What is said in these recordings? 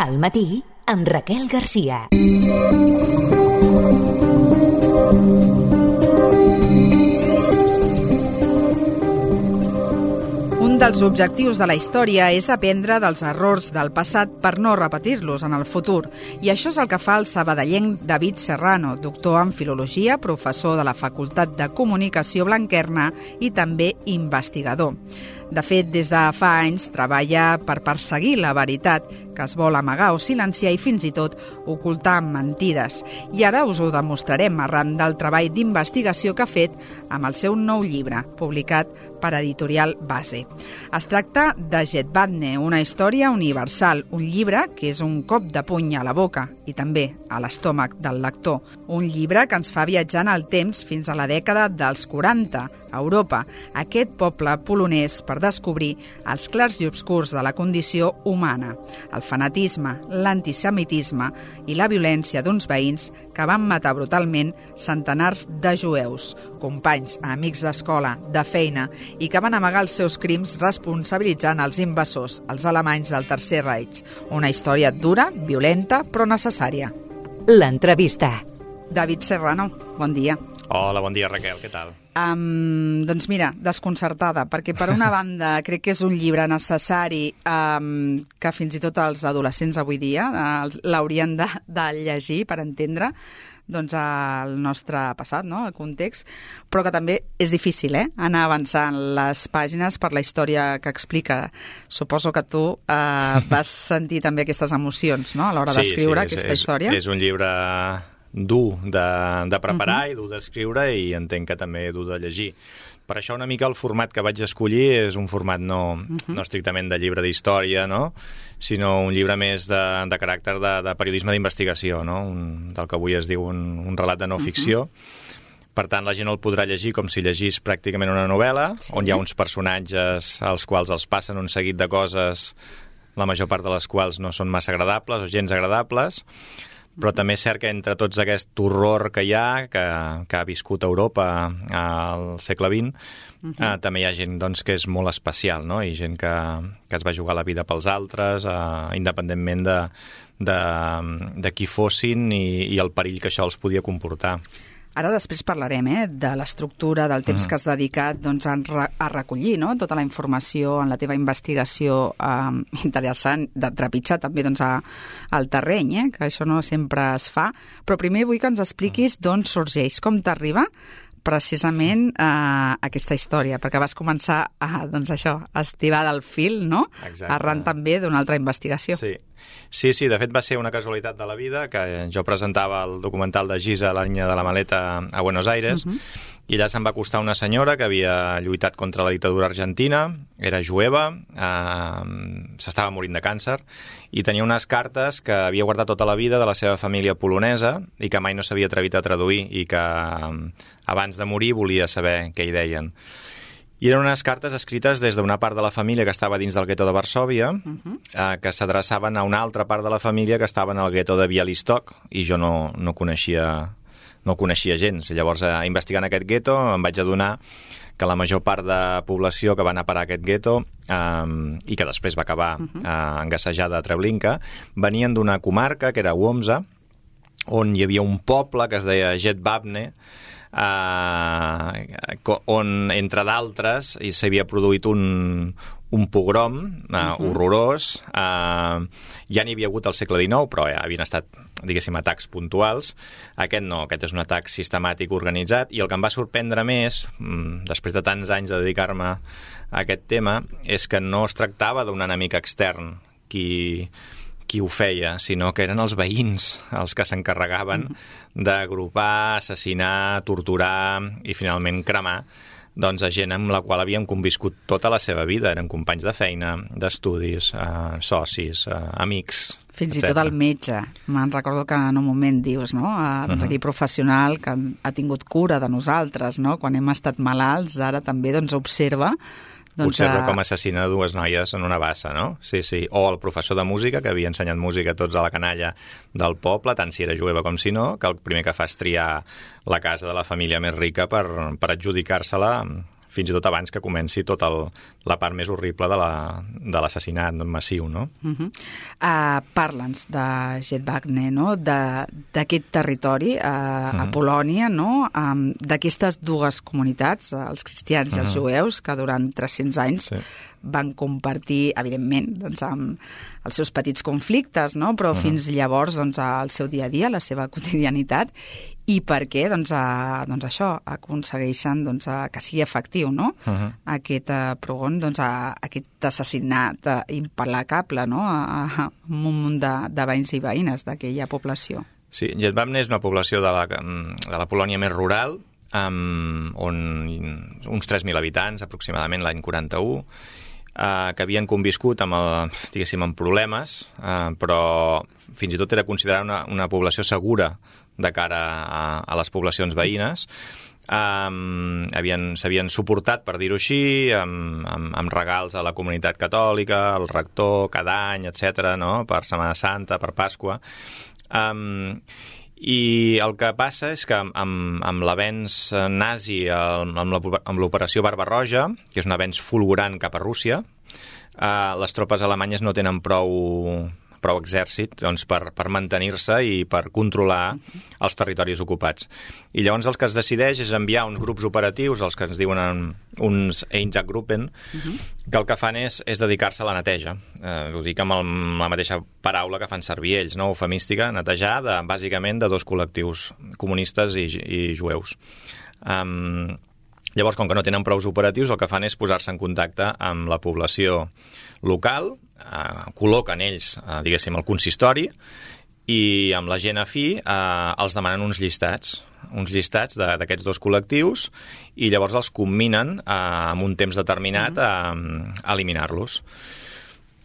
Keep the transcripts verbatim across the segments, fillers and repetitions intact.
Al matí, amb Raquel Garcia. Un dels objectius de la història és aprendre dels errors del passat per no repetir-los en el futur. I això és el que fa el sabadellenc David Serrano, doctor en Filologia, professor de la Facultat de Comunicació Blanquerna i també investigador. De fet, des de fa anys treballa per perseguir la veritat que es vol amagar o silenciar i fins i tot ocultar mentides. I ara us ho demostrarem arran del treball d'investigació que ha fet amb el seu nou llibre, publicat per Editorial Base. Es tracta de Jedwabne, una història universal, un llibre que és un cop de puny a la boca i també a l'estómac del lector. Un llibre que ens fa viatjar en el temps fins a la dècada dels quaranta, a Europa, aquest poble polonès per descobrir els clars i obscurs de la condició humana, el fanatisme, l'antisemitisme i la violència d'uns veïns que van matar brutalment centenars de jueus, companys, amics d'escola, de feina, i que van amagar els seus crims responsabilitzant els invasors, els alemanys del Tercer Reich. Una història dura, violenta, però necessària. L'entrevista. David Serrano, bon dia. Hola, bon dia, Raquel, què tal? Um, doncs mira, desconcertada, perquè per una banda crec que és un llibre necessari um, que fins i tot els adolescents avui dia uh, l'haurien de, de llegir per entendre doncs, el nostre passat, no? El context, però que també és difícil eh? anar avançant les pàgines per la història que explica. Suposo que tu uh, vas sentir també aquestes emocions, no? A l'hora sí, d'escriure sí, aquesta és, història. És un llibre dur de, de preparar uh-huh. i dur d'escriure i entenc que també dur de llegir. Per això una mica el format que vaig escollir és un format no, uh-huh. no estrictament de llibre d'història, no? Sinó un llibre més de, de caràcter de, de periodisme d'investigació, no? Un, del que avui es diu un, un relat de no ficció. Uh-huh. Per tant, la gent el podrà llegir com si llegís pràcticament una novel·la, sí. on hi ha uns personatges als quals els passen un seguit de coses, la major part de les quals no són massa agradables o gens agradables, però també és cert que entre tots aquest horror que hi ha, que, que ha viscut Europa al segle vint, uh-huh. eh, també hi ha gent doncs, que és molt especial, no? I gent que, que es va jugar la vida pels altres, eh, independentment de, de, de qui fossin i, i el perill que això els podia comportar. Ara després parlarem eh, de l'estructura, del temps uh-huh. que has dedicat doncs, a, re a recollir no? tota la informació en la teva investigació eh, interessant, de trepitjar també doncs, a, al terreny, eh, que això no sempre es fa. Però primer vull que ens expliquis d'on sorgeix, com t'arriba precisament eh, aquesta història, perquè vas començar a, doncs això, a estivar del fil, no? Exacte. Arran també d'una altra investigació. Sí. sí, sí, de fet va ser una casualitat de la vida que jo presentava el documental de Giza, la niña de la maleta, a Buenos Aires, uh-huh. i allà se'm va acostar una senyora que havia lluitat contra la dictadura argentina, era jueva, eh, s'estava morint de càncer, i tenia unes cartes que havia guardat tota la vida de la seva família polonesa i que mai no s'havia atrevit a traduir i que abans de morir volia saber què hi deien. I eren unes cartes escrites des d'una part de la família que estava dins del gueto de Varsòvia, uh-huh. eh, que s'adreçaven a una altra part de la família que estava en el gueto de Bialystok, i jo no, no coneixia no coneixia gens. Llavors, eh, investigant aquest gueto, em vaig adonar que la major part de població que va anar a parar a aquest gueto eh, i que després va acabar uh-huh. eh, engassejada a Treblinka, venien d'una comarca, que era Łomża, on hi havia un poble que es deia Jedwabne, eh, on, entre d'altres, s'havia produït un, un pogrom eh, uh-huh. horrorós. Eh, ja n'hi havia hagut al segle dinou, però ja havien estat, diguéssim, atacs puntuals. Aquest no, aquest és un atac sistemàtic organitzat, i el que em va sorprendre més, després de tants anys de dedicar-me a aquest tema, és que no es tractava d'un enemic extern qui... qui ho feia, sinó que eren els veïns els que s'encarregaven mm-hmm. d'agrupar, assassinar, torturar i finalment cremar doncs, a gent amb la qual havíem conviscut tota la seva vida. Eren companys de feina, d'estudis, eh, socis, eh, amics, fins i etcètera. tot el metge. Me'n recordo que en un moment dius, no? Eh, doncs aquí professional que ha tingut cura de nosaltres, no? Quan hem estat malalts, ara també doncs, observa doncs, observa com assassina dues noies en una bassa, no? Sí, sí. O el professor de música, que havia ensenyat música a tots a la canalla del poble, tant si era jueva com si no, que el primer que fa és triar la casa de la família més rica per, per adjudicar-se-la fins i tot abans que comenci tot el la part més horrible de la, de l'assassinat massiu, no? Uh-huh. Uh, Parla'ns de Jedwabne, no? D'aquest territori uh, uh-huh. a Polònia, no? Um, d'aquestes dues comunitats, els cristians i els uh-huh. jueus, que durant tres-cents anys sí. van compartir, evidentment, doncs, amb els seus petits conflictes, no? Però uh-huh. fins llavors doncs, el seu dia a dia, la seva quotidianitat, i per què doncs, a, doncs això aconsegueixen doncs, a, que sigui efectiu, no? Uh-huh. Aquest uh, progon, doncs, a, aquest assassinat uh, implacable, no? A, a un munt de, de veïns i veïnes d'aquella població. Sí, Jedwabne és una població de la, de la Polònia més rural, um, on uns tres mil habitants, aproximadament l'any quaranta-u, Uh, que havien conviscut amb, el, diguéssim, amb problemes, uh, però fins i tot era considerada una, una població segura de cara a, a les poblacions veïnes. Um, havien, s'havien suportat, per dir-ho així, amb, amb, amb regals a la comunitat catòlica, al rector, cada any, etcètera, no? Per Setmana Santa, per Pasqua. Um, I el que passa és que amb, amb l'avenç nazi, amb l'operació Barbarroja, que és un avenç fulgurant cap a Rússia, eh, les tropes alemanyes no tenen prou, prou exèrcit doncs, per, per mantenir-se i per controlar els territoris ocupats. I llavors el que es decideix és enviar uns grups operatius, els que ens diuen uns Einsatzgruppen, uh-huh. que el que fan és, és dedicar-se a la neteja. Eh, ho dic amb, el, amb la mateixa paraula que fan servir ells, no? Eufemística, netejar, de, bàsicament, de dos col·lectius, comunistes i, i jueus. Um, llavors, com que no tenen prous operatius, el que fan és posar-se en contacte amb la població local, eh, col·loquen ells, eh, diguéssim, el consistori, i amb la gent afí eh, els demanen uns llistats, uns llistats d'aquests dos col·lectius, i llavors els combinen eh, en un temps determinat a, a eliminar-los.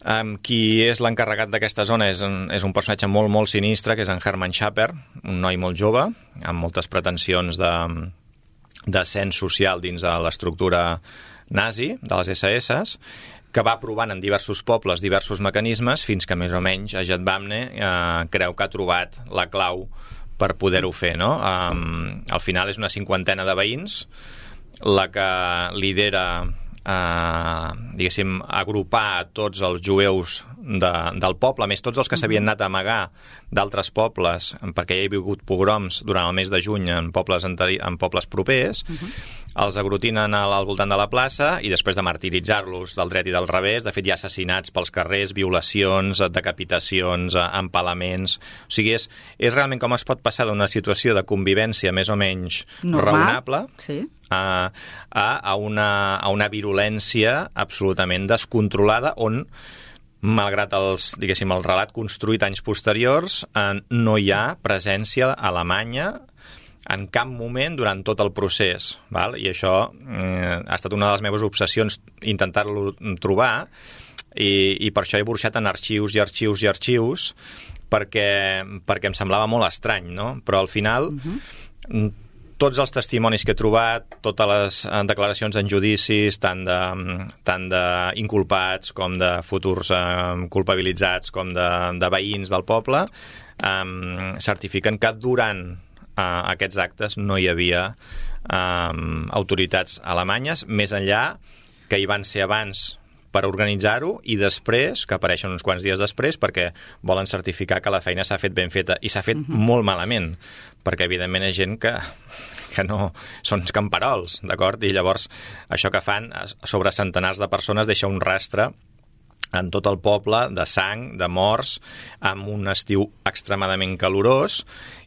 Um, qui és l'encarregat d'aquesta zona és, és un personatge molt, molt sinistre, que és en Hermann Schaper, un noi molt jove, amb moltes pretensions de, d'ascens social dins de l'estructura nazi, de les esse esse, que va provant en diversos pobles diversos mecanismes fins que més o menys a Jedwabne eh, creu que ha trobat la clau per poder-ho fer, no? Um, al final és una cinquantena de veïns la que lidera eh, diguéssim, agrupar tots els jueus de, del poble, a més tots els que s'havien anat a amagar d'altres pobles, perquè hi ha hagut pogroms durant el mes de juny en pobles, anteri- en pobles propers, uh-huh. els agrutinen al, al voltant de la plaça i després de martiritzar-los del dret i del revés, de fet hi ha assassinats pels carrers, violacions, decapitacions, empalaments... O sigui, és, és realment com es pot passar d'una situació de convivència més o menys normal, raonable sí. a, a, a, una, a una virulència absolutament descontrolada on, malgrat els, diguéssim, el relat construït anys posteriors, eh, no hi ha presència alemanya en cap moment durant tot el procés, val? I això eh, ha estat una de les meves obsessions intentar-lo trobar, i, i per això he burxat en arxius i arxius i arxius perquè, perquè em semblava molt estrany, no? Però al final uh-huh. tots els testimonis que he trobat, totes les declaracions en judicis, tant de, tant d'inculpats com de futurs eh, culpabilitzats com de, de veïns del poble, eh, certifiquen que durant Uh, aquests actes no hi havia um, autoritats alemanyes, més enllà que hi van ser abans per organitzar-ho i després, que apareixen uns quants dies després, perquè volen certificar que la feina s'ha fet ben feta, i s'ha fet uh-huh. molt malament, perquè evidentment hi ha gent que, que no són camperols, d'acord? I llavors això que fan sobre centenars de persones deixa un rastre en tot el poble de sang, de morts, amb un estiu extremadament calorós,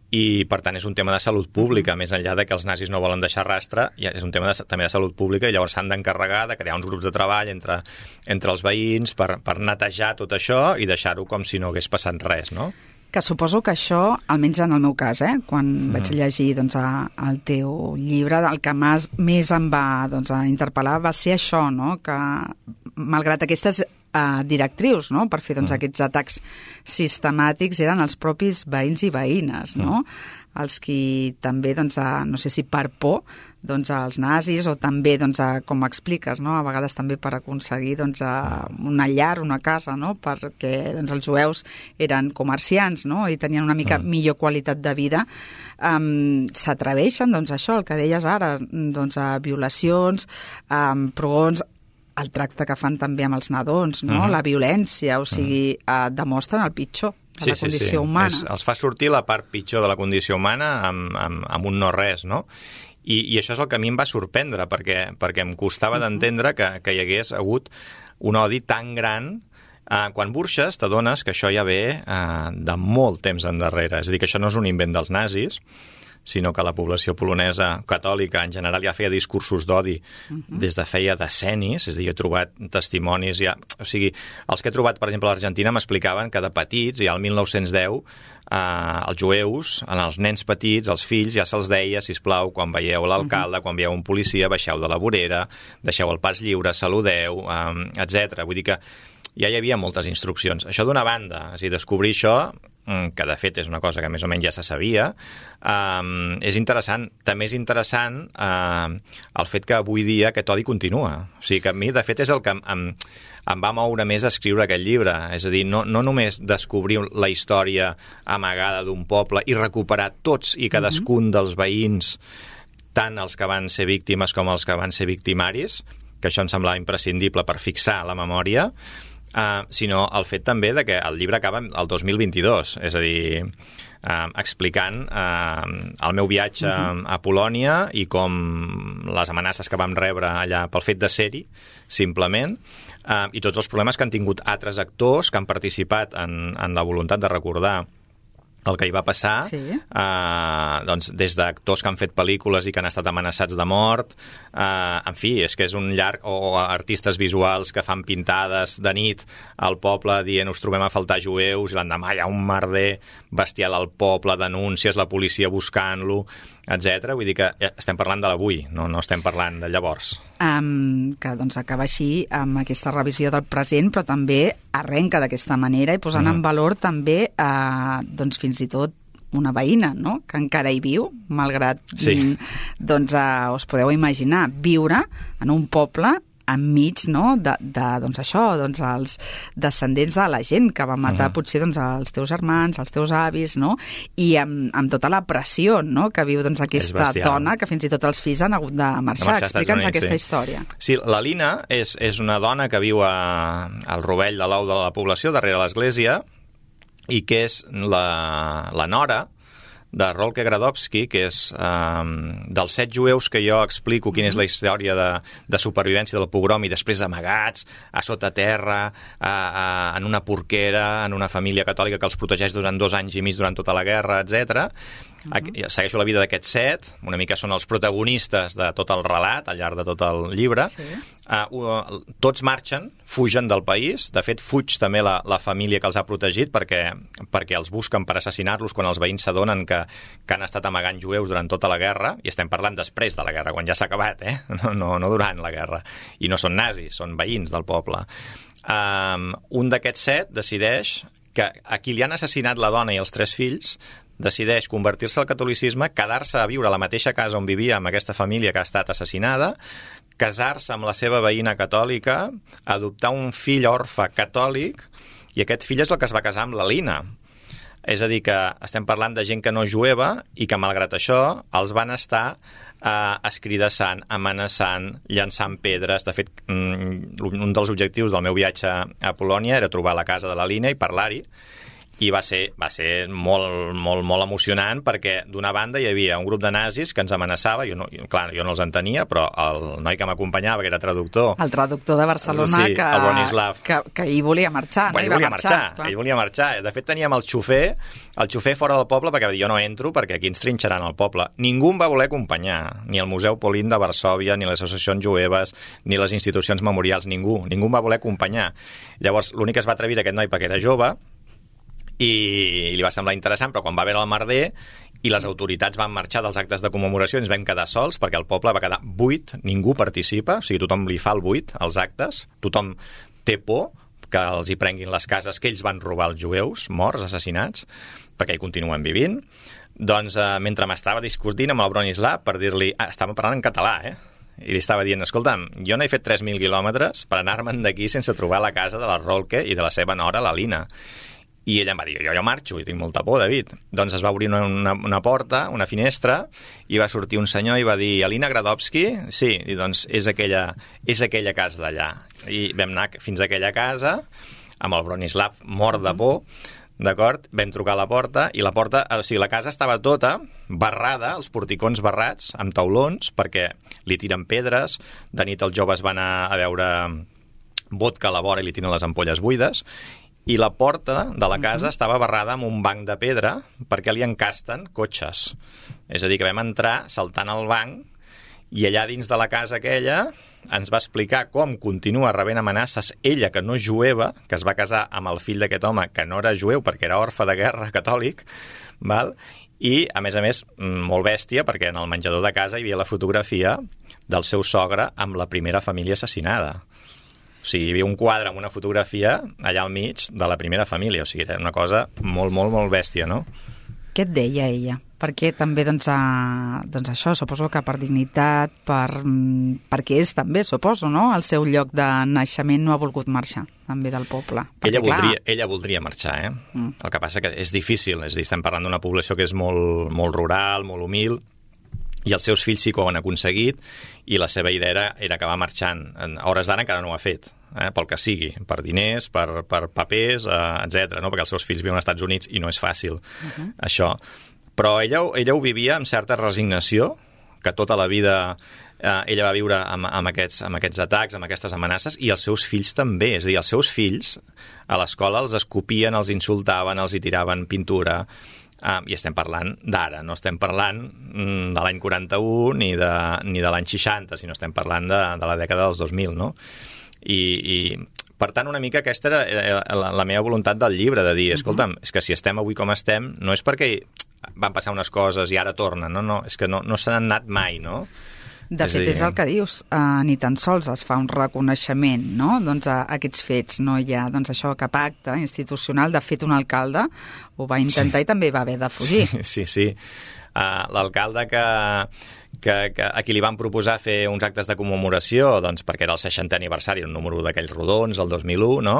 i per tant és un tema de salut pública, més enllà de que els nazis no volen deixar rastre, és un tema de, també de salut pública, i llavors s'han d'encarregar de crear uns grups de treball entre, entre els veïns per, per netejar tot això i deixar-ho com si no hagués passat res, no? Que suposo que això, almenys en el meu cas, eh, quan mm. vaig llegir doncs, a, el teu llibre, el que més, més em va doncs, a interpel·lar va ser això, no? Que malgrat aquestes Uh, directrius, no? Per fer doncs, mm. aquests atacs sistemàtics eren els propis veïns i veïnes, no? Mm. Els qui també, doncs, a, no sé si per por doncs, als nazis, o també, doncs, a, com expliques, no? A vegades també per aconseguir doncs, a una llar, una casa, no? Perquè doncs, els jueus eren comerciants, no? I tenien una mica mm. millor qualitat de vida. Um, s'atreveixen, doncs, això, el que deies ara, doncs, a violacions, a um, prodons, el tracte que fan també amb els nadons, no? Uh-huh. La violència, o sigui, uh, demostren el pitjor de sí, la condició sí, sí. humana. És, els fa sortir la part pitjor de la condició humana amb, amb, amb un no-res, no? I, I això és el que a mi em va sorprendre, perquè, perquè em costava uh-huh. d'entendre que, que hi hagués hagut un odi tan gran. Uh, quan burxes t'adones que això ja ve uh, de molt temps endarrere. És a dir, que això no és un invent dels nazis, sinó que la població polonesa catòlica en general ja feia discursos d'odi uh-huh. des de feia decennis. És a dir, jo he trobat testimonis... Ja, o sigui, els que he trobat, per exemple, a l'Argentina m'explicaven que de petits, ja al mil nou-cents deu, uh, els jueus, als nens petits, als fills, ja se'ls deia, sisplau, quan veieu l'alcalde, uh-huh. quan veieu un policia, baixeu de la vorera, deixeu el pas lliure, saludeu, um, etcètera. Vull dir que ja hi havia moltes instruccions. Això d'una banda, és a dir, descobrir això, que de fet és una cosa que més o menys ja se sabia, um, és interessant. També és interessant uh, el fet que avui dia aquest odi continua. O sigui que a mi, de fet, és el que em, em, em va moure més a escriure aquest llibre. És a dir, no, no només descobrir la història amagada d'un poble i recuperar tots i cadascun dels veïns, tant els que van ser víctimes com els que van ser victimaris, que això em semblava imprescindible per fixar la memòria, Uh, sinó el fet també de que el llibre acaba el dos mil vint-i-dos, és a dir, uh, explicant uh, el meu viatge uh-huh. a Polònia i com les amenaces que vam rebre allà pel fet de ser-hi, simplement, uh, i tots els problemes que han tingut altres actors que han participat en, en la voluntat de recordar el que hi va passar, sí. eh, doncs, des d'actors que han fet pel·lícules i que han estat amenaçats de mort, eh, en fi, és que és un llarg, o artistes visuals que fan pintades de nit al poble dient us trobem a faltar jueus, i l'endemà hi ha un merder bestial al poble, denúncies, la policia buscant-lo, etcètera. Vull dir que estem parlant de l'avui, no, no estem parlant de llavors. Um, que doncs acaba així amb aquesta revisió del present, però també arrenca d'aquesta manera i posant mm. en valor també uh, doncs fins i tot una veïna, no?, que encara hi viu, malgrat sí. doncs uh, us podeu imaginar viure en un poble enmig, no?, de, de doncs això, doncs els descendents de la gent que va matar uh-huh. potser doncs els teus germans, els teus avis, no?, i amb, amb tota la pressió, no?, que viu doncs aquesta dona, que fins i tot els fills han hagut de marxar. Explica'ns aquesta sí. història. Sí, la Lina és, és una dona que viu a, al rovell de l'ou de la població, darrere l'església, i que és la, la nora de Rolke Gradowski, que és um, dels set jueus que jo explico quina és la història de, de supervivència del pogrom i després amagats a sota terra, a, a, en una porquera, en una família catòlica que els protegeix durant dos anys i mig durant tota la guerra, etcètera. Uh-huh. Segueixo la vida d'aquests set, una mica són els protagonistes de tot el relat al llarg de tot el llibre. Sí. Uh, uh, tots marxen, fugen del país, de fet fuig també la, la família que els ha protegit perquè, perquè els busquen per assassinar-los quan els veïns s'adonen que, que han estat amagant jueus durant tota la guerra, i estem parlant després de la guerra, quan ja s'ha acabat, eh? no, no, no durant la guerra, i no són nazis, són veïns del poble. Um, un d'aquests set decideix que a qui li han assassinat la dona i els tres fills decideix convertir-se al catolicisme, quedar-se a viure a la mateixa casa on vivia amb aquesta família que ha estat assassinada, casar-se amb la seva veïna catòlica, adoptar un fill orfe catòlic, i aquest fill és el que es va casar amb la Lina. És a dir, que estem parlant de gent que no és jueva i que, malgrat això, els van estar eh, escridassant, amenaçant, llançant pedres. De fet, un dels objectius del meu viatge a Polònia era trobar la casa de la Lina i parlar-hi, i va ser, va ser molt, molt, molt emocionant perquè, d'una banda, hi havia un grup de nazis que ens amenaçava, jo no, clar, jo no els entenia, però el noi que m'acompanyava, que era traductor... El traductor de Barcelona, sí, que, el Bronislav, que, que ell volia marxar. Bueno, no? ell volia marxar, marxar ell volia marxar. De fet, teníem el xofer, el xofer fora del poble, perquè va dir, jo no entro perquè aquí ens trinxaran al poble. Ningú em va voler acompanyar, ni el Museu Polin de Varsòvia, ni les associacions jueves, ni les institucions memorials, ningú. Ningú em va voler acompanyar. Llavors, l'únic que es va atrevir aquest noi perquè era jove, i li va semblar interessant, però quan va veure el merder i les autoritats van marxar dels actes de commemoració, ens vam quedar sols perquè el poble va quedar buit, ningú participa, o sigui, tothom li fa el buit als actes, tothom té por que els hi prenguin les cases que ells van robar als jueus, morts, assassinats, perquè hi continuen vivint. Doncs eh, mentre m'estava discutint amb el Bronislav per dir-li, ah, estava parlant en català, eh? I li estava dient, escolta'm, jo no he fet tres mil quilòmetres per anar-me'n d'aquí sense trobar la casa de la Rolke i de la seva nora, la Lina. I ella em va dir, jo, jo marxo, i tinc molta por, David. Doncs es va obrir una, una, una porta, una finestra, i va sortir un senyor i va dir, Alina Gradovski? Sí, i doncs és aquella, és aquella casa d'allà. I vam anar fins a aquella casa, amb el Bronislav mort de por, d'acord? Vam trucar a la porta, i la porta, o sigui, la casa estava tota barrada, els porticons barrats, amb taulons, perquè li tiren pedres, de nit els joves van a, a veure vodka a la vora i li tiren les ampolles buides, i la porta de la casa uh-huh. estava barrada amb un banc de pedra perquè li encasten cotxes. És a dir, que vam entrar saltant al banc i allà dins de la casa aquella ens va explicar com continua rebent amenaces ella, que no és jueva, que es va casar amb el fill d'aquest home, que no era jueu perquè era orfe de guerra catòlic, val? I, a més a més, molt bèstia, perquè en el menjador de casa hi havia la fotografia del seu sogre amb la primera família assassinada. O sigui, hi havia un quadre amb una fotografia allà al mig de la primera família. O sigui, era una cosa molt, molt, molt bèstia, no? Què et deia ella? Perquè també, doncs, a, doncs això, suposo que per dignitat, per, perquè és també, suposo, no? El seu lloc de naixement no ha volgut marxar, també del poble. Perquè, ella, voldria, ella voldria marxar, eh? Mm. El que passa que és difícil, és a dir, estem parlant d'una població que és molt, molt rural, molt humil, i els seus fills sí que ho han aconseguit, i la seva idea era, era acabar marxant. A hores d'ara encara no ho ha fet, eh? Pel que sigui, per diners, per, per papers, eh, etcètera, no? Perquè els seus fills viuen als Estats Units i no és fàcil, uh-huh. això. Però ella, ella ho vivia amb certa resignació, que tota la vida eh, ella va viure amb, amb, aquests, amb aquests atacs, amb aquestes amenaces, i els seus fills també. És a dir, els seus fills a l'escola els escopien, els insultaven, els hi tiraven pintura. Uh, i estem parlant d'ara, no estem parlant mm, de l'any quaranta-u ni de, ni de l'any seixanta, sinó estem parlant de, de la dècada dels dos mil, no? I, i per tant, una mica aquesta era la, la meva voluntat del llibre, de dir, escolta'm, és que si estem avui com estem, no és perquè van passar unes coses i ara tornen, no, no, és que no, no se n'han anat mai, no? De fet, és el que dius, uh, ni tan sols es fa un reconeixement, no?, doncs a, a aquests fets, no hi ha, doncs això, cap acte institucional. De fet, un alcalde ho va intentar sí. I també va haver de fugir. Sí, sí, sí. Uh, l'alcalde que, que, que a qui li van proposar fer uns actes de commemoració, doncs perquè era el seixantè aniversari, un número d'aquells rodons, el dos mil u, no?,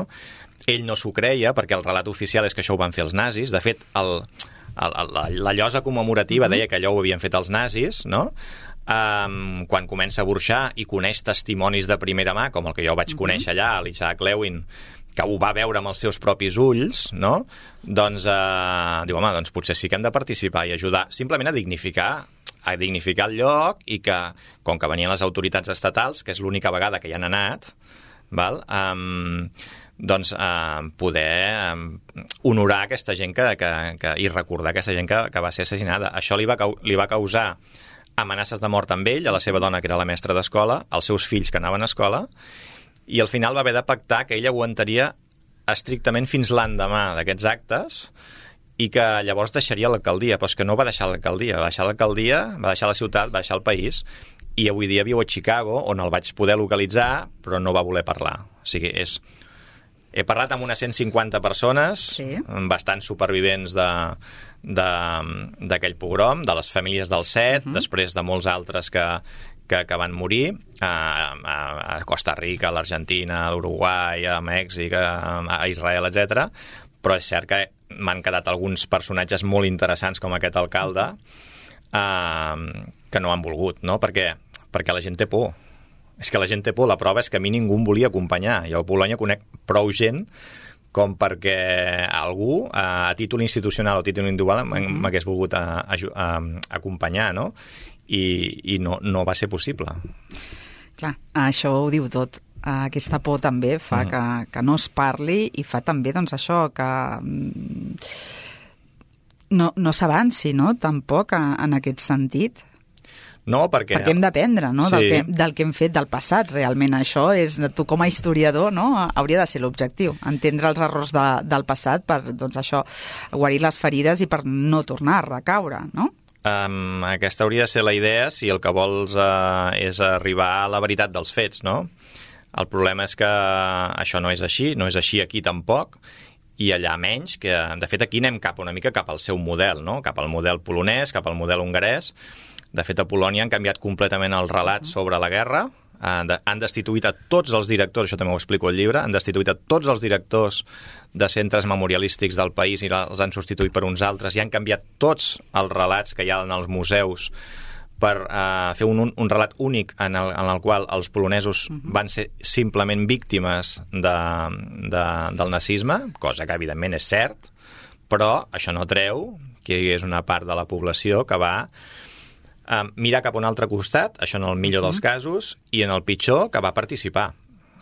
ell no s'ho creia, perquè el relat oficial és que això ho van fer els nazis. De fet, el, el, la, la llosa commemorativa mm-hmm. deia que allò ho havien fet els nazis, no?, Um, quan comença a burxar i coneix testimonis de primera mà, com el que jo vaig uh-huh. conèixer allà, l'Isaac Lewin, que ho va veure amb els seus propis ulls, no? Doncs uh, diu, home, doncs potser sí que hem de participar i ajudar simplement a dignificar a dignificar el lloc, i que, com que venien les autoritats estatals, que és l'única vegada que hi han anat, val? Um, doncs uh, poder um, honorar aquesta gent que, que, que, i recordar aquesta gent que, que va ser assassinada. Això li va, li va causar amenaces de mort amb ell, a la seva dona, que era la mestra d'escola, als seus fills, que anaven a escola, i al final va haver de pactar que ella aguantaria estrictament fins l'endemà d'aquests actes, i que llavors deixaria l'alcaldia. Però és que no va deixar l'alcaldia, va deixar l'alcaldia, va deixar la ciutat, va deixar el país, i avui dia viu a Chicago, on el vaig poder localitzar, però no va voler parlar. O sigui, és... He parlat amb unes cent cinquanta persones, sí. bastants supervivents de, de, d'aquell pogrom, de les famílies del set, uh-huh. després de molts altres que, que, que van morir, a, a, a Costa Rica, a l'Argentina, a l'Uruguai, a Mèxic, a, a Israel, etcètera. Però és cert que m'han quedat alguns personatges molt interessants, com aquest alcalde, eh, que no han volgut, no? Perquè, perquè la gent té por. És que la gent té por. La prova és que a mi ningú em volia acompanyar. Jo a Polònia conec prou gent com perquè algú, a títol institucional o a títol individual, m'hagués volgut a, a, a, a acompanyar, no? I, i no, no va ser possible. Clar, això ho diu tot. Aquesta por també fa uh-huh. que, que no es parli, i fa també, doncs, això, que no, no s'avanci, no?, tampoc en aquest sentit. No, perquè... Perquè hem d'aprendre, no?, sí. del, que, del que hem fet del passat, realment. Això és, tu com a historiador, no?, hauria de ser l'objectiu, entendre els errors de, del passat per, doncs això, guarir les ferides i per no tornar a recaure, no? Um, aquesta hauria de ser la idea si el que vols uh, és arribar a la veritat dels fets, no? El problema és que això no és així, no és així aquí tampoc, i allà menys, que de fet aquí anem cap una mica cap al seu model, no?, cap al model polonès, cap al model hongarès. De fet, a Polònia han canviat completament el relat sobre la guerra. han, de, han destituït a tots els directors, això també ho explico al llibre, han destituït a tots els directors de centres memorialístics del país i els han substituït per uns altres i han canviat tots els relats que hi ha en els museus per uh, fer un, un relat únic en el, en el qual els polonesos uh-huh. van ser simplement víctimes de, de, del nazisme, cosa que evidentment és cert, però això no treu que hi és una part de la població que va uh, mirar cap a un altre costat, això en el millor uh-huh. dels casos, i en el pitjor que va participar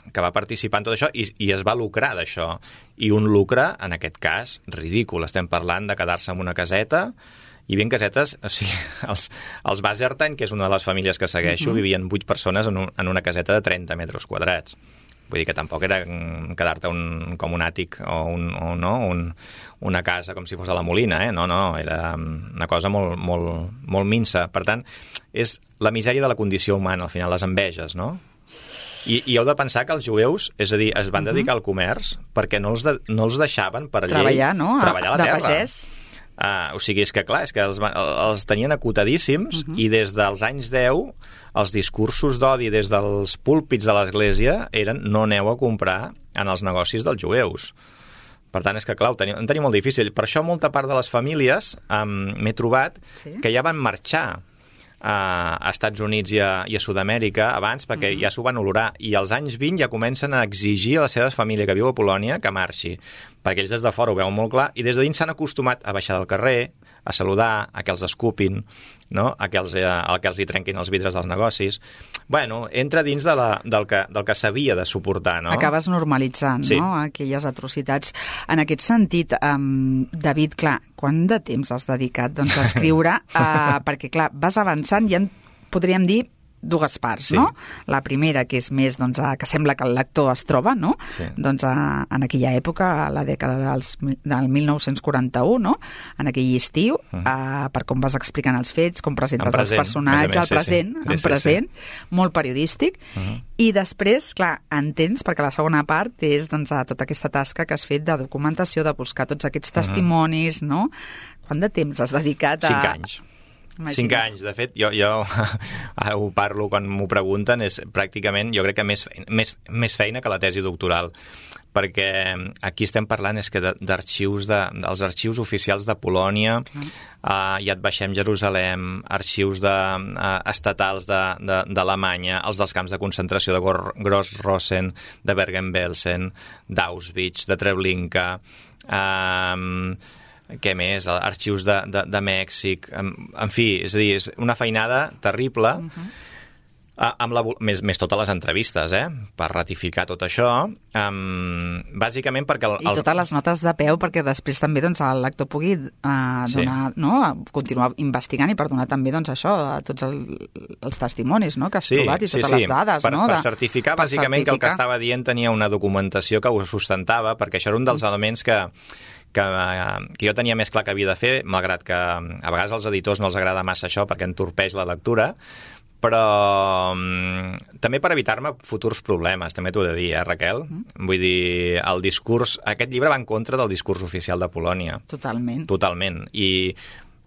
que va participar en tot això i, i es va lucrar d'això. I un lucre, en aquest cas, ridícul. Estem parlant de quedar-se en una caseta, i ben casetes, o sigui, els, els Basertan, que és una de les famílies que segueixo, uh-huh. vivien vuit persones en, un, en una caseta de trenta metres quadrats. Vull dir que tampoc era quedar-te un, com un àtic o, un, o no, un, una casa com si fos a la Molina, eh? No, no, era una cosa molt, molt, molt minsa. Per tant, és la misèria de la condició humana, al final, les enveges, no? I, i heu de pensar que els jueus, és a dir, es van dedicar uh-huh. al comerç perquè no els, de, no els deixaven per llei treballar, no? treballar a la de terra. Pagès. Uh, o sigui, és que clar, és que els, els tenien acotadíssims uh-huh. i des dels anys deu els discursos d'odi des dels púlpits de l'església eren no aneu a comprar en els negocis dels jueus. Per tant, és que clar, ho tenia, ho tenia molt difícil. Per això molta part de les famílies um, m'he trobat sí? que ja van marxar a Estats Units i a, i a Sud-amèrica abans perquè uh-huh. ja s'ho van olorar i als anys vint ja comencen a exigir a la seva família que viu a Polònia que marxi, perquè ells des de fora ho veuen molt clar i des de dins s'han acostumat a baixar del carrer, a saludar, a que els escupin, no? a, que els, a que els hi trenquin els vidres dels negocis. Bueno, entra dins de la, del que, del que s'havia de suportar, no? Acabes normalitzant, sí. no?, aquelles atrocitats. En aquest sentit, um, David, clar, quant de temps has dedicat doncs, a escriure? uh, perquè, clar, vas avançant i en podríem dir dues parts, sí. no? La primera, que és més, doncs, a, que sembla que el lector es troba, no? Sí. Doncs a, en aquella època, a la dècada dels, del mil nou-cents quaranta-u, no? En aquell estiu, uh-huh. a, per com vas explicant els fets, com presentes present, els personatges, més, al present, sí, sí. en sí, present, sí, sí. molt periodístic, uh-huh. i després, clar, entens, perquè la segona part és, doncs, a tota aquesta tasca que has fet de documentació, de buscar tots aquests testimonis, uh-huh. no? Quant de temps has dedicat a... Cinc anys. Imagina. Cinc anys, de fet, jo, jo ara ho parlo quan m'ho pregunten, és pràcticament, jo crec que més, més, més feina que la tesi doctoral, perquè aquí estem parlant és que d'arxius, de, dels arxius oficials de Polònia, uh, ja et baixem Jerusalem, arxius de, uh, estatals d'Alemanya, els dels camps de concentració de Gross-Rosen, de Bergen-Belsen, d'Auschwitz, de Treblinka, uh, què més? Arxius de, de, de Mèxic, en, en fi, és a dir, és una feinada terrible, uh-huh. amb la, més, més totes les entrevistes, eh? Per ratificar tot això, um, bàsicament perquè... El, el... I totes les notes de peu perquè després també doncs, el lector pugui uh, donar, sí. no? continuar investigant i per donar també doncs, això, a tots el, els testimonis no? que has sí, trobat i totes sí, sí. les dades. Per, no? per certificar, per bàsicament, certificar. Que el que estava dient tenia una documentació que ho sustentava, perquè això era un dels mm. elements que Que, que jo tenia més clar que havia de fer, malgrat que a vegades als editors no els agrada massa això perquè entorpeix la lectura, però um, també per evitar-me futurs problemes, també t'ho he de dir, eh, Raquel? Mm. Vull dir, el discurs... Aquest llibre va en contra del discurs oficial de Polònia. Totalment. Totalment. I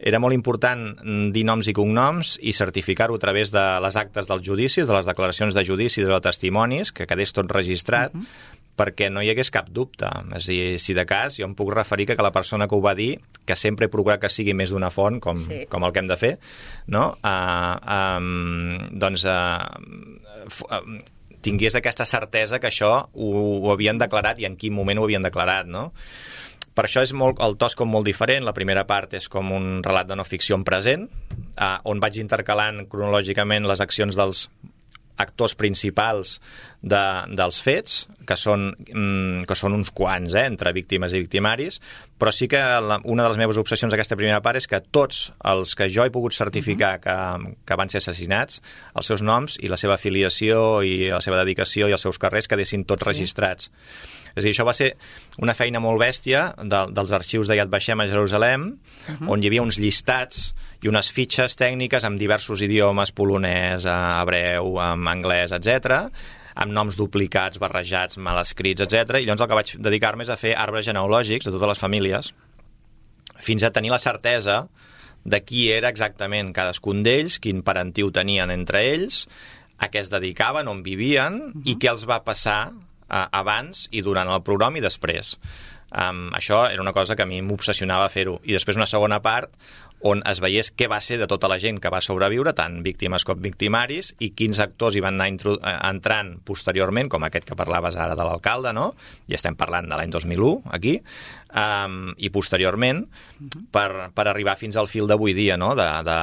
era molt important dir noms i cognoms i certificar-ho a través de les actes dels judicis, de les declaracions de judici, de testimonis, que quedés tot registrat, mm-hmm. perquè no hi hagués cap dubte. És a dir, si de cas, jo em puc referir que la persona que ho va dir, que sempre he procurat que sigui més d'una font, com, sí. com el que hem de fer, no? Uh, um, doncs uh, uh, tingués aquesta certesa que això ho, ho havien declarat i en quin moment ho havien declarat, no? Per això és molt, el to és com molt diferent. La primera part és com un relat de no ficció en present, uh, on vaig intercalant cronològicament les accions dels actors principals de, dels fets, que són, mm, que són uns quants, eh, entre víctimes i victimaris, però sí que la, una de les meves obsessions d'aquesta primera part és que tots els que jo he pogut certificar uh-huh. que, que van ser assassinats, els seus noms i la seva afiliació i la seva dedicació i els seus carrers quedessin tots sí. registrats. És a dir, això va ser una feina molt bèstia de, dels arxius de Yad Vashem a Jerusalem, uh-huh. on hi havia uns llistats i unes fitxes tècniques amb diversos idiomes, polonès, hebreu, anglès, etcètera, amb noms duplicats, barrejats, mal escrits, etcètera. I llavors el que vaig dedicar-me és a fer arbres genealògics de totes les famílies, fins a tenir la certesa de qui era exactament cadascun d'ells, quin parentiu tenien entre ells, a què es dedicaven, on vivien uh-huh. i què els va passar uh, abans i durant el programa i després. Um, això era una cosa que a mi m'obsessionava fer-ho. I després una segona part on es veiés què va ser de tota la gent que va sobreviure, tant víctimes com victimaris, i quins actors hi van anar intru- entrant posteriorment, com aquest que parlaves ara de l'alcalde, no? I estem parlant de l'any dos mil u, aquí, um, i posteriorment, uh-huh. per, per arribar fins al fil d'avui dia, no? De, de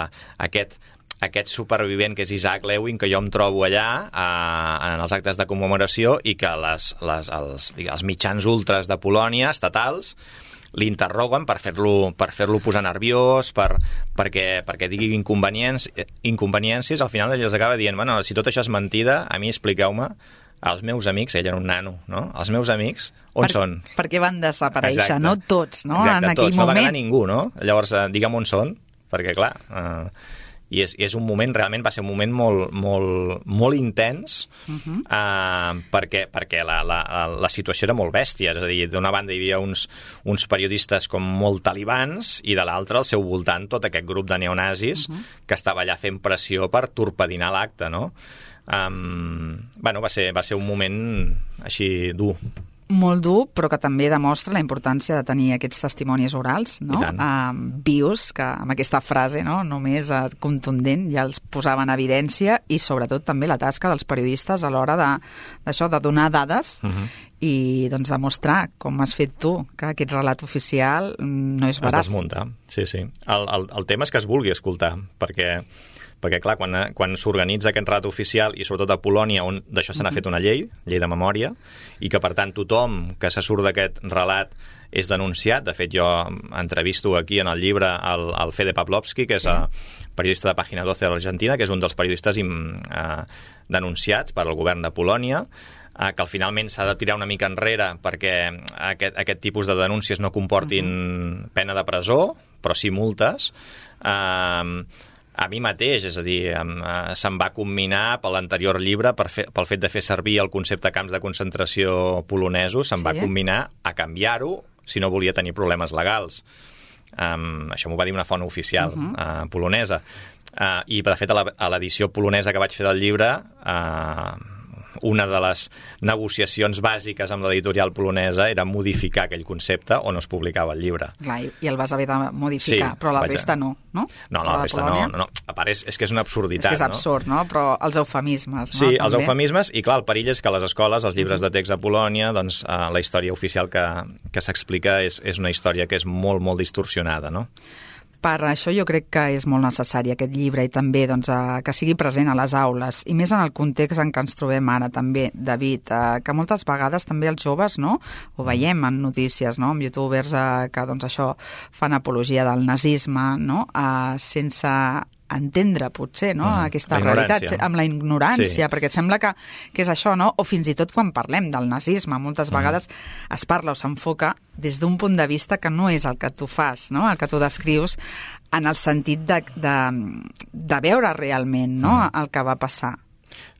aquest... aquest supervivent que és Isaac Lewin, que jo em trobo allà eh, en els actes de commemoració i que les, les, els, els mitjans ultras de Polònia, estatals, l'interroguen per fer-lo per fer-lo posar nerviós, per, perquè, perquè digui inconvenients, inconveniències, al final ell els acaba dient, bueno, si tot això és mentida, a mi expliqueu-me, els meus amics, ell era un nano, no? Els meus amics, on per, són? Perquè van desaparèixer, Exacte. no tots, no? Exacte, en aquell tots, moment. no va quedar ningú, no? Llavors, eh, digue'm on són, perquè clar... Eh, i és, és un moment, realment va ser un moment molt, molt, molt intens uh-huh. eh, perquè, perquè la, la, la situació era molt bèstia, és a dir, d'una banda hi havia uns, uns periodistes com molt talibans i de l'altra al seu voltant tot aquest grup de neonazis uh-huh. que estava allà fent pressió per torpedinar l'acte, no? Um, bueno, va ser, va ser un moment així dur. Molt dur, però que també demostra la importància de tenir aquests testimonis orals, no? Uh, vius, que amb aquesta frase, no? Només uh, contundent, ja els posava en evidència, i sobretot també la tasca dels periodistes a l'hora de, d'això, de donar dades uh-huh. i doncs demostrar, com has fet tu, que aquest relat oficial no és veraç. Es desmunta, sí, sí. El, el, el tema és que es vulgui escoltar, perquè... perquè, clar, quan, quan s'organitza aquest relat oficial, i sobretot a Polònia, on d'això se n'ha fet una llei, llei de memòria, i que, per tant, tothom que se surt d'aquest relat és denunciat. De fet, jo entrevisto aquí en el llibre el, el Fede Pawlowski, que és sí. a, periodista de Pàgina dotze de l'Argentina, que és un dels periodistes eh, denunciats per al govern de Polònia, eh, que finalment s'ha de tirar una mica enrere perquè aquest, aquest tipus de denúncies no comportin uh-huh. pena de presó, però sí multes. Eh, a mi mateix, és a dir, eh, se'm va comminar per l'anterior llibre per fer, pel fet de fer servir el concepte camps de concentració polonesos, se'm sí. va comminar a canviar-ho si no volia tenir problemes legals. Um, això m'ho va dir una font oficial uh-huh. uh, polonesa. Uh, I, de fet, a l'edició polonesa que vaig fer del llibre, uh, una de les negociacions bàsiques amb l'editorial polonesa era modificar aquell concepte o no es publicava el llibre. Clar, i el vas haver de modificar, sí, però la resta no, no? No, no, la resta no, no, no. A part, és, és que és una absurditat, és que és absurd, no? no? Però els eufemismes, no? Sí, també. Els eufemismes, i clar, el perill és que a les escoles, els llibres de text a Polònia, doncs eh, la història oficial que, que s'explica és, és una història que és molt, molt distorsionada, no? Per això jo crec que és molt necessari aquest llibre i també doncs, eh, que sigui present a les aules, i més en el context en què ens trobem ara també, David, eh, que moltes vegades també els joves, no?, ho veiem en notícies, no?, amb youtubers eh, que doncs, això fan apologia del nazisme, no?, eh, sense entendre, potser, no?, mm, aquesta realitat, amb la ignorància, sí. perquè et sembla que, que és això, no?, o fins i tot quan parlem del nazisme, moltes mm. vegades es parla o s'enfoca des d'un punt de vista que no és el que tu fas, no?, el que tu descrius, en el sentit de, de, de veure realment, no?, mm. el que va passar.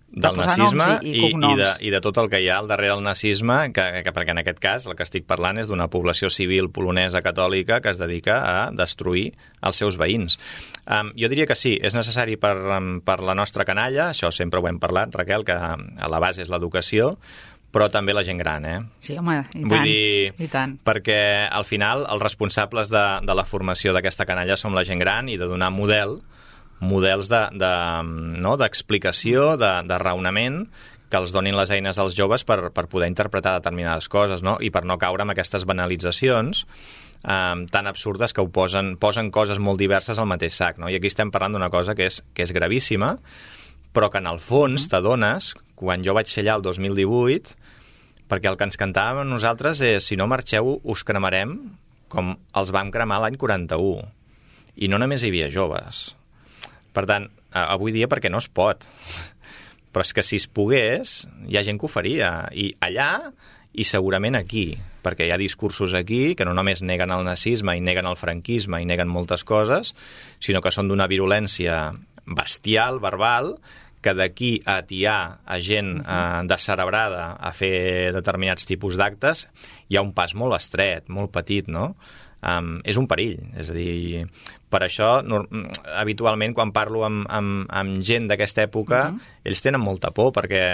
Del nazisme i, i, i, de, i de tot el que hi ha al darrere del nazisme, que, que perquè en aquest cas el que estic parlant és d'una població civil polonesa catòlica que es dedica a destruir els seus veïns. Um, jo diria que sí, és necessari per, um, per la nostra canalla, això sempre ho hem parlat, Raquel, que a la base és l'educació, però també la gent gran, eh? Sí, home, i Vull tant, dir, i tant. Perquè al final els responsables de, de la formació d'aquesta canalla som la gent gran i de donar model models de, de, no, d'explicació, de, de raonament, que els donin les eines als joves per, per poder interpretar determinades coses, no? I per no caure en aquestes banalitzacions eh, tan absurdes que ho posen, posen coses molt diverses al mateix sac, no? I aquí estem parlant d'una cosa que és, que és gravíssima, però que en el fons t'adones, quan jo vaig ser allà el dos mil divuit, perquè el que ens cantàvem nosaltres és si no marxeu us cremarem com els vam cremar l'any quaranta-u. I no només hi havia joves. Per tant, avui dia perquè no es pot. Però és que si es pogués, hi ha gent que ho faria. I allà, i segurament aquí. Perquè hi ha discursos aquí que no només neguen el nazisme i neguen el franquisme i neguen moltes coses, sinó que són d'una virulència bestial, verbal, que d'aquí a atiar a gent eh, descerebrada a fer determinats tipus d'actes hi ha un pas molt estret, molt petit, no? um, és un perill. És a dir, per això, no, habitualment, quan parlo amb, amb, amb gent d'aquesta època, uh-huh. ells tenen molta por, perquè,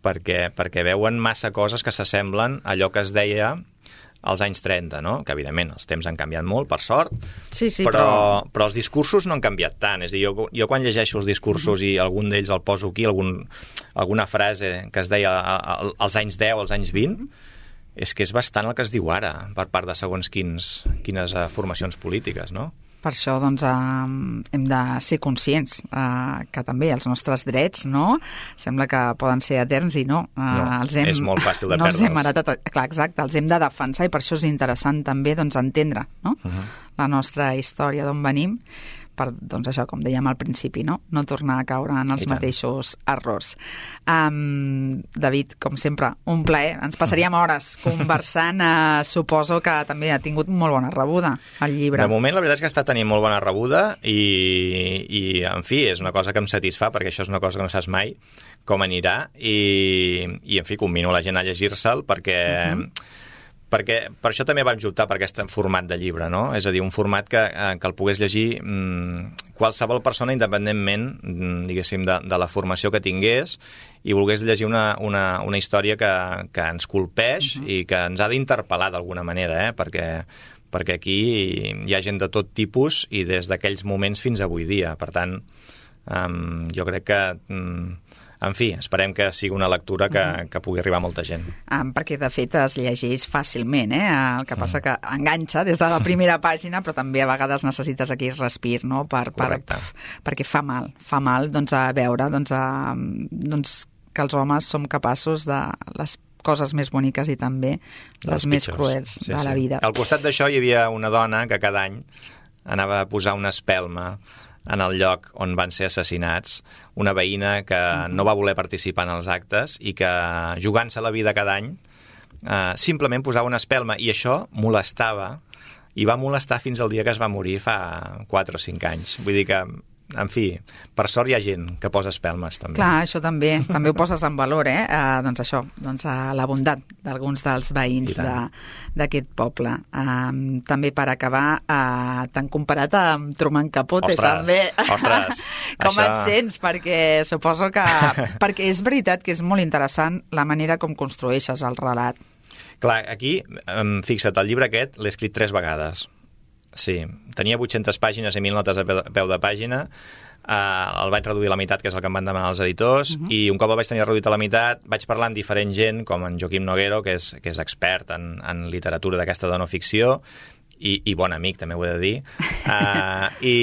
perquè, perquè veuen massa coses que s'assemblen a allò que es deia als anys trenta, no? Que evidentment els temps han canviat molt, per sort, sí, sí, però, però... però els discursos no han canviat tant. És a dir, jo, jo quan llegeixo els discursos uh-huh. i algun d'ells el poso aquí, algun, alguna frase que es deia als anys deu, als anys vint, és que és bastant el que es diu ara per part de segons quins, quines uh, formacions polítiques, no? Per això doncs, eh, hem de ser conscients eh, que també els nostres drets, no? Sembla que poden ser eterns i no. Eh, no els hem, és molt fàcil de no perdre'ls. Els hem heretat, clar, exacte, els hem de defensar i per això és interessant també doncs, entendre no? uh-huh. la nostra història, d'on venim, per, doncs això, com dèiem al principi, no, no tornar a caure en els mateixos errors. Um, David, com sempre, un plaer. Ens passaríem hores conversant. Uh, suposo que també ha tingut molt bona rebuda el llibre. De moment, la veritat és que està tenint molt bona rebuda i, i en fi, és una cosa que em satisfà, perquè això és una cosa que no saps mai com anirà i, i en fi, convino la gent a llegir-se'l perquè... Uh-huh. perquè per això també vam optar per aquest format de llibre, no? És a dir, un format que, que el pogués llegir mmm, qualsevol persona independentment, diguéssim, de, de la formació que tingués i volgués llegir una, una, una història que, que ens colpeix uh-huh. i que ens ha d'interpel·lar d'alguna manera, eh? perquè, perquè aquí hi ha gent de tot tipus i des d'aquells moments fins avui dia. Per tant, um, jo crec que... Um, en fi, esperem que sigui una lectura que, que pugui arribar a molta gent. Um, perquè, de fet, es llegeix fàcilment, eh? El que passa que enganxa des de la primera pàgina, però també a vegades necessites aquell respir, no? Per, per, perquè fa mal, fa mal doncs, a veure doncs, a, doncs, que els homes som capaços de les coses més boniques i també les, les més cruels sí, de la sí. vida. Al costat d'això hi havia una dona que cada any anava a posar una espelma en el lloc on van ser assassinats, una veïna que no va voler participar en els actes i que, jugant-se la vida cada any, eh, simplement posava una espelma, i això molestava, i va molestar fins al dia que es va morir fa quatre o cinc anys. Vull dir que, en fi, per sort hi ha gent que posa espelmes, també. Clar, això també, també ho poses en valor, eh? Uh, doncs això, doncs uh, la bondat d'alguns dels veïns d'aquest poble. Uh, també per acabar, uh, t'han comparat amb Truman Capote, ostres, també. Ostres, com això... et sents? Perquè suposo que... perquè és veritat que és molt interessant la manera com construeixes el relat. Clar, aquí, um, fixa't, el llibre aquest l'he escrit tres vegades. Sí, tenia vuit-centes pàgines i mil notes a peu de pàgina, uh, el vaig reduir a la meitat, que és el que em van demanar els editors, uh-huh. i un cop el vaig tenir reduït a la meitat vaig parlar amb diferent gent, com en Joaquim Noguero, que és, que és expert en, en literatura d'aquesta de no ficció, i, i bon amic, també ho he de dir, uh, i,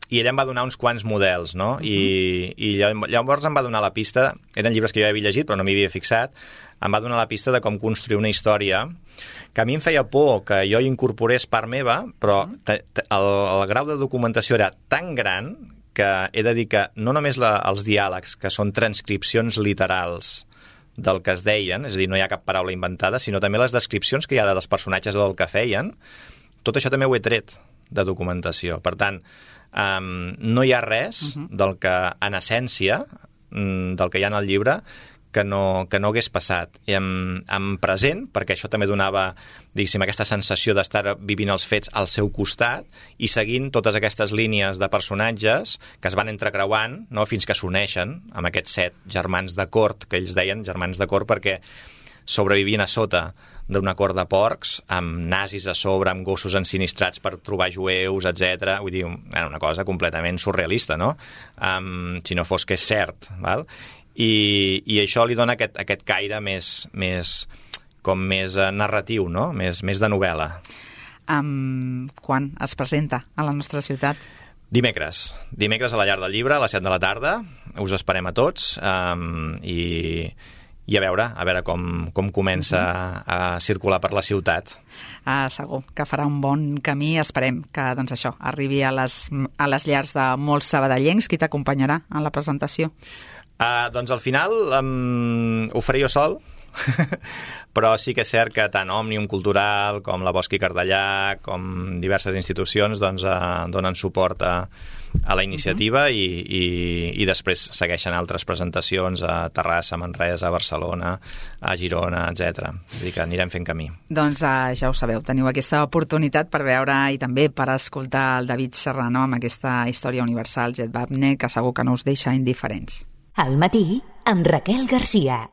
i ella em va donar uns quants models, no? Uh-huh. I, i llavors em va donar la pista, eren llibres que jo havia llegit però no m'hi havia fixat, em va donar la pista de com construir una història que a mi em feia por que jo hi incorporés part meva, però te, te, el, el grau de documentació era tan gran que he de dir que no només la, els diàlegs, que són transcripcions literals del que es deien, és a dir, no hi ha cap paraula inventada, sinó també les descripcions que hi ha dels personatges o del que feien, tot això també ho he tret de documentació. Per tant, um, no hi ha res uh-huh. del que, en essència, del que hi ha en el llibre, que no, que no hagués passat. I en, en present, perquè això també donava, diguéssim, aquesta sensació d'estar vivint els fets al seu costat i seguint totes aquestes línies de personatges que es van entrecreuant, no?, fins que s'uneixen amb aquests set germans de cort, que ells deien germans de cort perquè sobrevivien a sota d'una cort de porcs, amb nazis a sobre, amb gossos ensinistrats per trobar jueus, etcètera. Vull dir, era una cosa completament surrealista, no? Um, si no fos que és cert, val? I, i això li dona aquest, aquest caire més, més, com més uh, narratiu, no? Més, més de novel·la. Um, quan es presenta a la nostra ciutat? Dimecres. Dimecres a la Llar del Llibre, a les set de la tarda. Us esperem a tots um, i, i a veure, a veure com, com comença uh-huh. a, a circular per la ciutat. Uh, segur que farà un bon camí. Esperem que doncs, això arribi a les, a les llars de molts sabadellencs. Qui t'acompanyarà en la presentació? Uh, doncs al final um, ho faré jo sol, Però sí que és cert que tant Òmnium Cultural com la Bosch i Cardellà, com diverses institucions, doncs, eh, donen suport a, a la iniciativa uh-huh. i, i, i després segueixen altres presentacions a Terrassa, Manresa, a Barcelona, a Girona, etcètera. És a dir, que anirem fent camí. Doncs eh, ja ho sabeu, teniu aquesta oportunitat per veure i també per escoltar el David Serrano amb aquesta història universal, Jet Wagner, que segur que no us deixa indiferents. Al matí, amb Raquel Garcia.